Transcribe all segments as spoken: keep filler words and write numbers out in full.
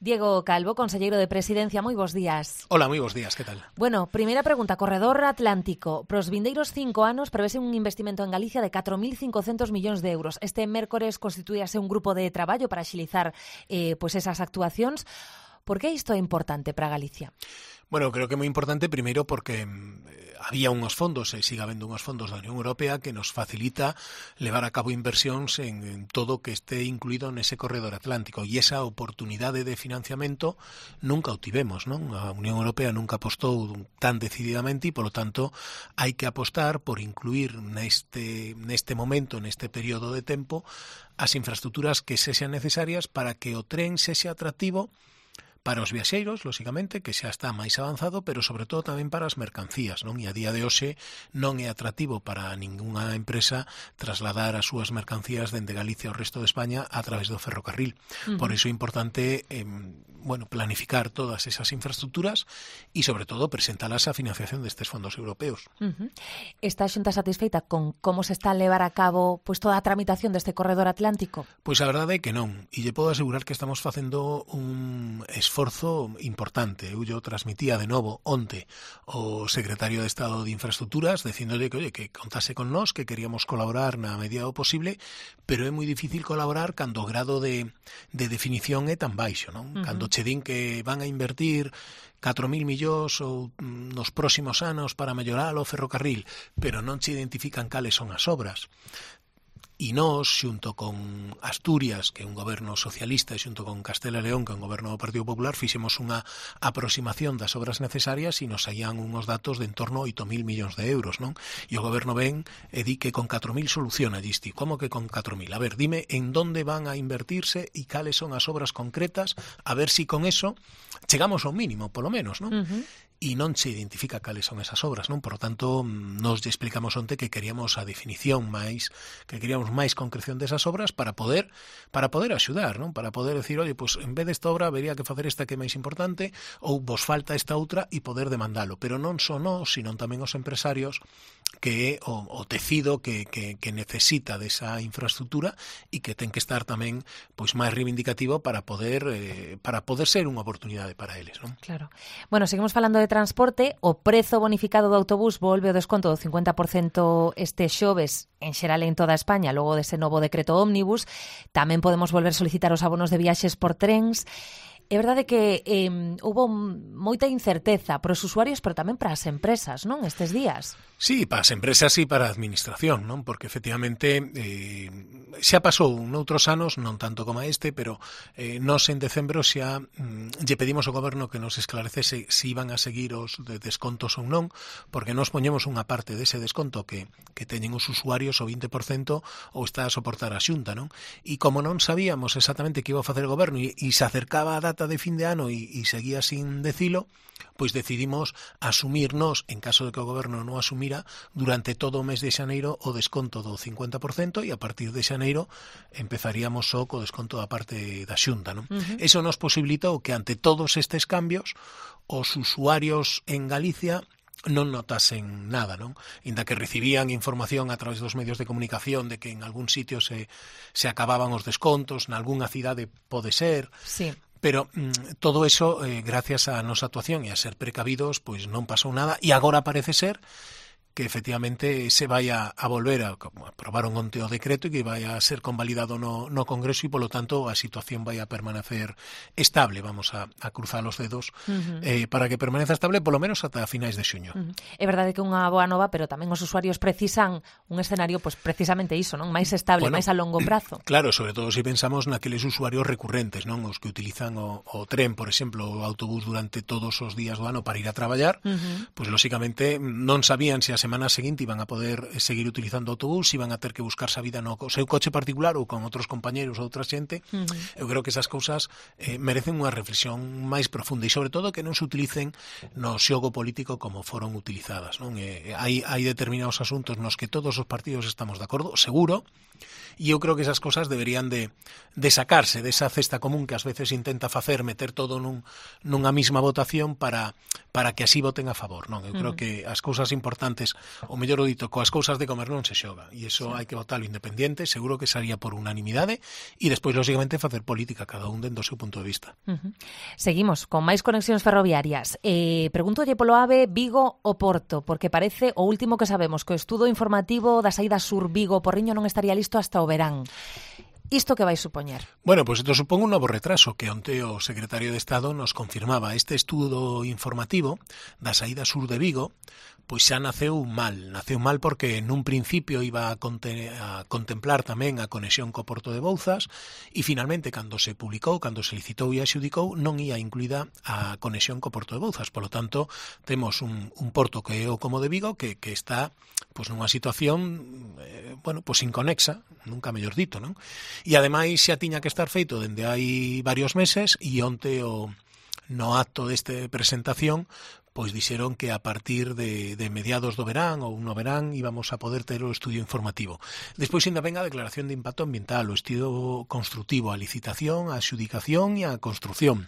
Diego Calvo, conselleiro de Presidencia, moi bons días. Hola, moi bons días, que tal? Bueno, primeira pregunta, Corredor Atlántico. Pros vindeiros cinco anos prevese un investimento en Galicia de catro mil cincocentos millóns de euros. Este mércores constituíase un grupo de traballo para axilizar eh, pues esas actuacións. Por que isto é importante para Galicia? Bueno, creo que é moi importante, primeiro, porque eh, había unhos fondos, e siga habendo unhos fondos da Unión Europea que nos facilita levar a cabo inversións en, en todo que este incluído nese corredor atlántico, e esa oportunidade de financiamento nunca o tivemos, non? A Unión Europea nunca apostou tan decididamente e, polo tanto, hai que apostar por incluir neste, neste momento, neste período de tempo, as infraestructuras que sexan necesarias para que o tren sexa atractivo para os viaxeiros, lóxicamente, que xa está máis avanzado, pero sobre todo tamén para as mercancías, non? E a día de hoxe non é atractivo para ningunha empresa trasladar as súas mercancías dende Galicia ao resto de España a través do ferrocarril. Uh-huh. Por iso é importante eh, bueno, planificar todas esas infraestructuras e, sobre todo, presentalas a financiación destes fondos europeos. Uh-huh. Está a Xunta satisfeita con como se está a levar a cabo pues, toda a tramitación deste corredor atlántico? Pois a verdade é que non, e lle podo asegurar que estamos facendo un esforzo importante. Eu yo transmitía de novo onte o secretario de Estado de Infraestructuras dicíndolle que, oye, que contase con nós, que queríamos colaborar na medida do posible, pero é moi difícil colaborar cando o grado de, de definición é tan baixo, non? Uh-huh. Cando che din que van a invertir catro mil millóns ou nos próximos anos para mellorar o ferrocarril, pero non che identifican cales son as obras. E nós, xunto con Asturias, que é un goberno socialista, e xunto con Castela e León, que é un goberno do Partido Popular, fixemos unha aproximación das obras necesarias e nos saían unhos datos de en torno a oito mil millóns de euros, non? E o goberno ven e di que con catro mil soluciona, disti. Como que con catro mil? A ver, dime en donde van a invertirse e cales son as obras concretas, a ver si con eso chegamos ao mínimo, polo menos, non? Uh-huh. E non se identifica cales son esas obras, non? Por lo tanto, nos lle explicamos onte que queríamos a definición máis, que queríamos máis concreción desas obras para poder para poder axudar, non? Para poder decir, oye, pues en vez desta obra habería que facer esta que é máis importante, ou vos falta esta outra e poder demandalo. Pero non só nós, sino tamén os empresarios, que é o, o tecido que, que, que necesita desa infraestructura e que ten que estar tamén pois máis reivindicativo para poder eh, para poder ser unha oportunidade para eles, non? Claro. Bueno, seguimos falando de transporte. O prezo bonificado do autobús volve o desconto do cincuenta por cento este xoves en xeral en toda España, logo dese novo decreto ómnibus. Tamén podemos volver a solicitar os abonos de viaxes por trens. É verdade que eh, houve moita incerteza para os usuarios, pero tamén para as empresas, non, estes días? Sí, para as empresas e para a administración, non? Porque efectivamente eh, xa pasou noutros anos, non tanto como este, pero eh, nos en decembro xa mm, lle pedimos ao goberno que nos esclarecese se iban a seguir os de descontos ou non, porque nos poñemos unha parte dese desconto que, que teñen os usuarios o vinte por cento ou está a soportar a Xunta, non? E como non sabíamos exactamente que iba a facer o goberno e, e se acercaba a data de fin de ano e, e seguía sin decilo, pois decidimos asumirnos, en caso de que o goberno non asumira, durante todo o mes de xaneiro o desconto do cincuenta por cento e a partir de xaneiro empezaríamos só co desconto da parte da Xunta, non? Uh-huh. Eso nos posibilitou que ante todos estes cambios os usuarios en Galicia non notasen nada, non? Inda que recibían información a través dos medios de comunicación de que en algún sitio se, se acababan os descontos, nalgúnha cidade pode ser. Sí. Pero mm, todo eso, eh, gracias a nosa actuación e a ser precavidos, pois non pasou nada e agora parece ser que efectivamente se vai a, a volver a, a aprobaron onte o decreto e que vai a ser convalidado no, no Congreso e, polo tanto, a situación vai a permanecer estable. Vamos a, a cruzar os dedos uh-huh. eh, para que permaneza estable polo menos ata finais de xuño. Uh-huh. É verdade que é unha boa nova, pero tamén os usuarios precisan un escenario, pues precisamente iso, non? Máis estable, bueno, máis a longo prazo. Claro, sobre todo se pensamos naqueles usuarios recurrentes, non? Os que utilizan o, o tren, por exemplo, o autobús durante todos os días do ano para ir a traballar, uh-huh. pues lóxicamente non sabían se a semana seguinte iban a poder seguir utilizando o autobús, iban a ter que buscarse a vida no seu coche particular ou con outros compañeros ou outra xente. Uh-huh. Eu creo que esas cousas eh, merecen unha reflexión máis profunda e sobre todo que non se utilicen no xogo político como foron utilizadas, non? Eh, hai, hai determinados asuntos nos que todos os partidos estamos de acordo, seguro, e eu creo que esas cousas deberían de, de sacarse desa cesta común que ás veces intenta facer, meter todo nun, nunha mesma votación para, para que así voten a favor, non? Eu creo uh-huh. que as cousas importantes o mellor o dito, coas cousas de comer non se xoga, e iso sí. hai que votalo independiente, seguro que sería por unanimidade, e despois, lógicamente, facer política, cada un dentro do seu punto de vista. Uh-huh. Seguimos con máis conexións ferroviarias. Eh, pregúntolle polo AVE Vigo o Porto, porque parece o último que sabemos, que o estudo informativo da saída sur Vigo-Porriño non estaría listo hasta o verán. Isto que vai supoñer? Bueno, pues isto supón un novo retraso que onte o secretario de Estado nos confirmaba. Este estudo informativo da saída sur de Vigo pois xa naceu mal. Naceu mal porque nun principio iba a, conte- a contemplar tamén a conexión co Porto de Bouzas e finalmente, cando se publicou, cando se licitou e axudicou, non ia incluída a conexión co Porto de Bouzas. Por lo tanto, temos un, un porto que é o como de Vigo que, que está pois nunha situación eh, bueno, pois inconexa, nunca mellor dito, non? E ademais xa tiña que estar feito dende hai varios meses e onte o no acto deste presentación pois dixeron que a partir de, de mediados do verán ou no verán íbamos a poder ter o estudio informativo. Despois ainda ven a declaración de impacto ambiental, o estudio constructivo, a licitación, a adxudicación e a construcción.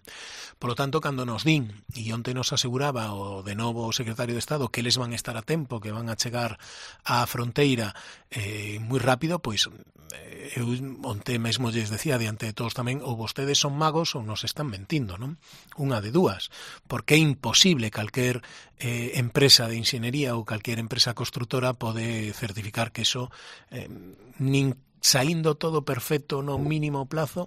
Por lo tanto, cando nos din, e onte nos aseguraba o de novo o secretario de Estado que eles van a estar a tempo, que van a chegar á fronteira eh, moi rápido, pois eh, eu onte mesmo lles decía diante de todos tamén, ou vostedes son magos ou nos están mentindo, non? Unha de dúas, porque é imposible calquer eh, empresa de inxeniería ou calquer empresa constructora pode certificar que eso eh, nin saindo todo perfecto no mínimo plazo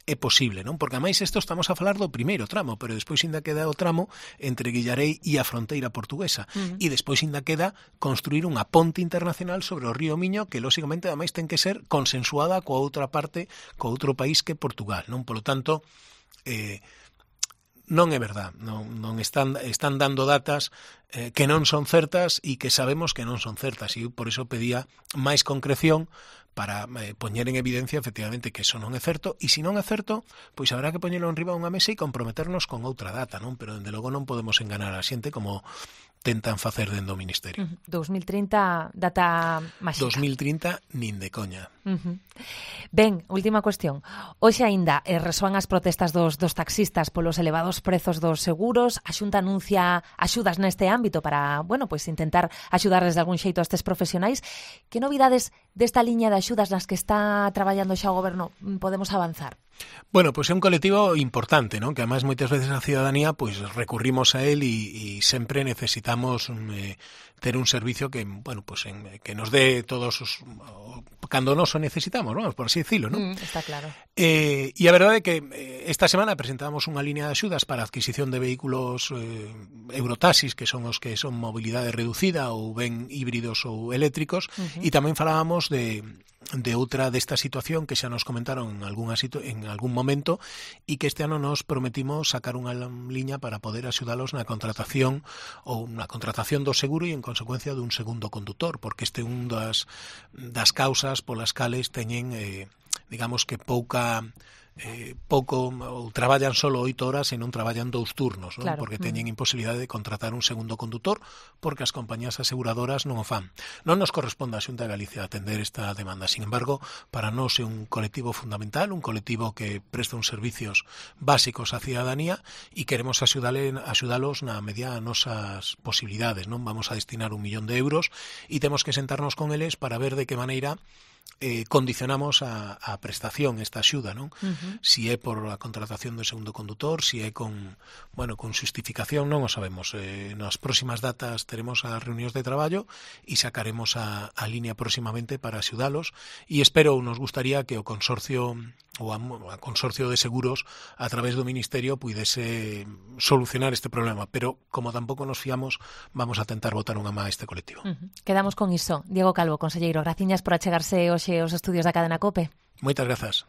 é posible, non? Porque ademais isto estamos a falar do primeiro tramo, pero despois ainda queda o tramo entre Guillarei e a fronteira portuguesa. Uh-huh. E despois ainda queda construir unha ponte internacional sobre o río Miño que, lógicamente, ademais ten que ser consensuada coa outra parte, co outro país que Portugal, non? Por lo tanto, eh, non é verdad, non, non están, están dando datas eh, que non son certas e que sabemos que non son certas, e por iso pedía máis concreción para eh, poñer en evidencia efectivamente que eso non é certo, e se non é certo, pois habrá que poñelo enriba unha mesa e comprometernos con outra data, non? Pero dende logo non podemos enganar a xente como tentan facer dentro do Ministerio. Uh-huh. dos mil trinta, data máxica. dos mil trinta, nin de coña. Uh-huh. Ben, última cuestión. Hoxe aínda eh, resoan as protestas dos, dos taxistas polos elevados prezos dos seguros. A Xunta anuncia axudas neste ámbito para, bueno, pois pues intentar axudarles de algún xeito a estes profesionais. Que novidades desta liña de axudas nas que está traballando xa o Goberno podemos avanzar? Bueno, pois pues é un colectivo importante, ¿no? Que además moitas veces a ciudadanía pues recurrimos a él e, e sempre necesitamos eh, ter un servicio que, bueno, pues en, que nos dé todos os cando nos o necesitamos, vamos, por así decirlo, ¿no? Mm, está claro. Eh, e a verdade é que eh, esta semana presentamos unha línea de axudas para a adquisición de vehículos eh, Eurotaxis, que son os que son mobilidade reducida ou ben híbridos ou eléctricos, uh-huh. E tamén falábamos de de outra desta situación que xa nos comentaron en, algunha situ- en algún momento e que este ano nos prometimos sacar unha liña para poder axudalos na contratación ou na contratación do seguro e en consecuencia dun segundo condutor, porque este é un das, das causas polas cales teñen, eh, digamos que pouca... Eh, pouco ou traballan solo oito horas e non traballan dous turnos, non? Claro. Porque teñen imposibilidade de contratar un segundo condutor porque as compañías aseguradoras non o fan. Non nos corresponde a Xunta de Galicia atender esta demanda. Sin embargo, para nós é un colectivo fundamental, un colectivo que presta uns servicios básicos á ciudadanía e queremos axudale, axudalos na medida das nosas posibilidades, non? Vamos a destinar un millón de euros e temos que sentarnos con eles para ver de que maneira Eh, condicionamos a, a prestación esta axuda, non? Uh-huh. Si é por a contratación do segundo condutor, si é con, bueno, con xustificación, non o sabemos. Eh, nas próximas datas teremos as reunións de traballo e sacaremos a, a línea próximamente para axudalos e espero, nos gustaría que o consorcio ou a, a consorcio de seguros a través do Ministerio puidese solucionar este problema, pero como tampouco nos fiamos, vamos a tentar botar unha má a este colectivo. Uh-huh. Quedamos con iso. Diego Calvo, conselleiro, graciñas por achegarse hoxe aos estudios da cadena COPE. Moitas grazas.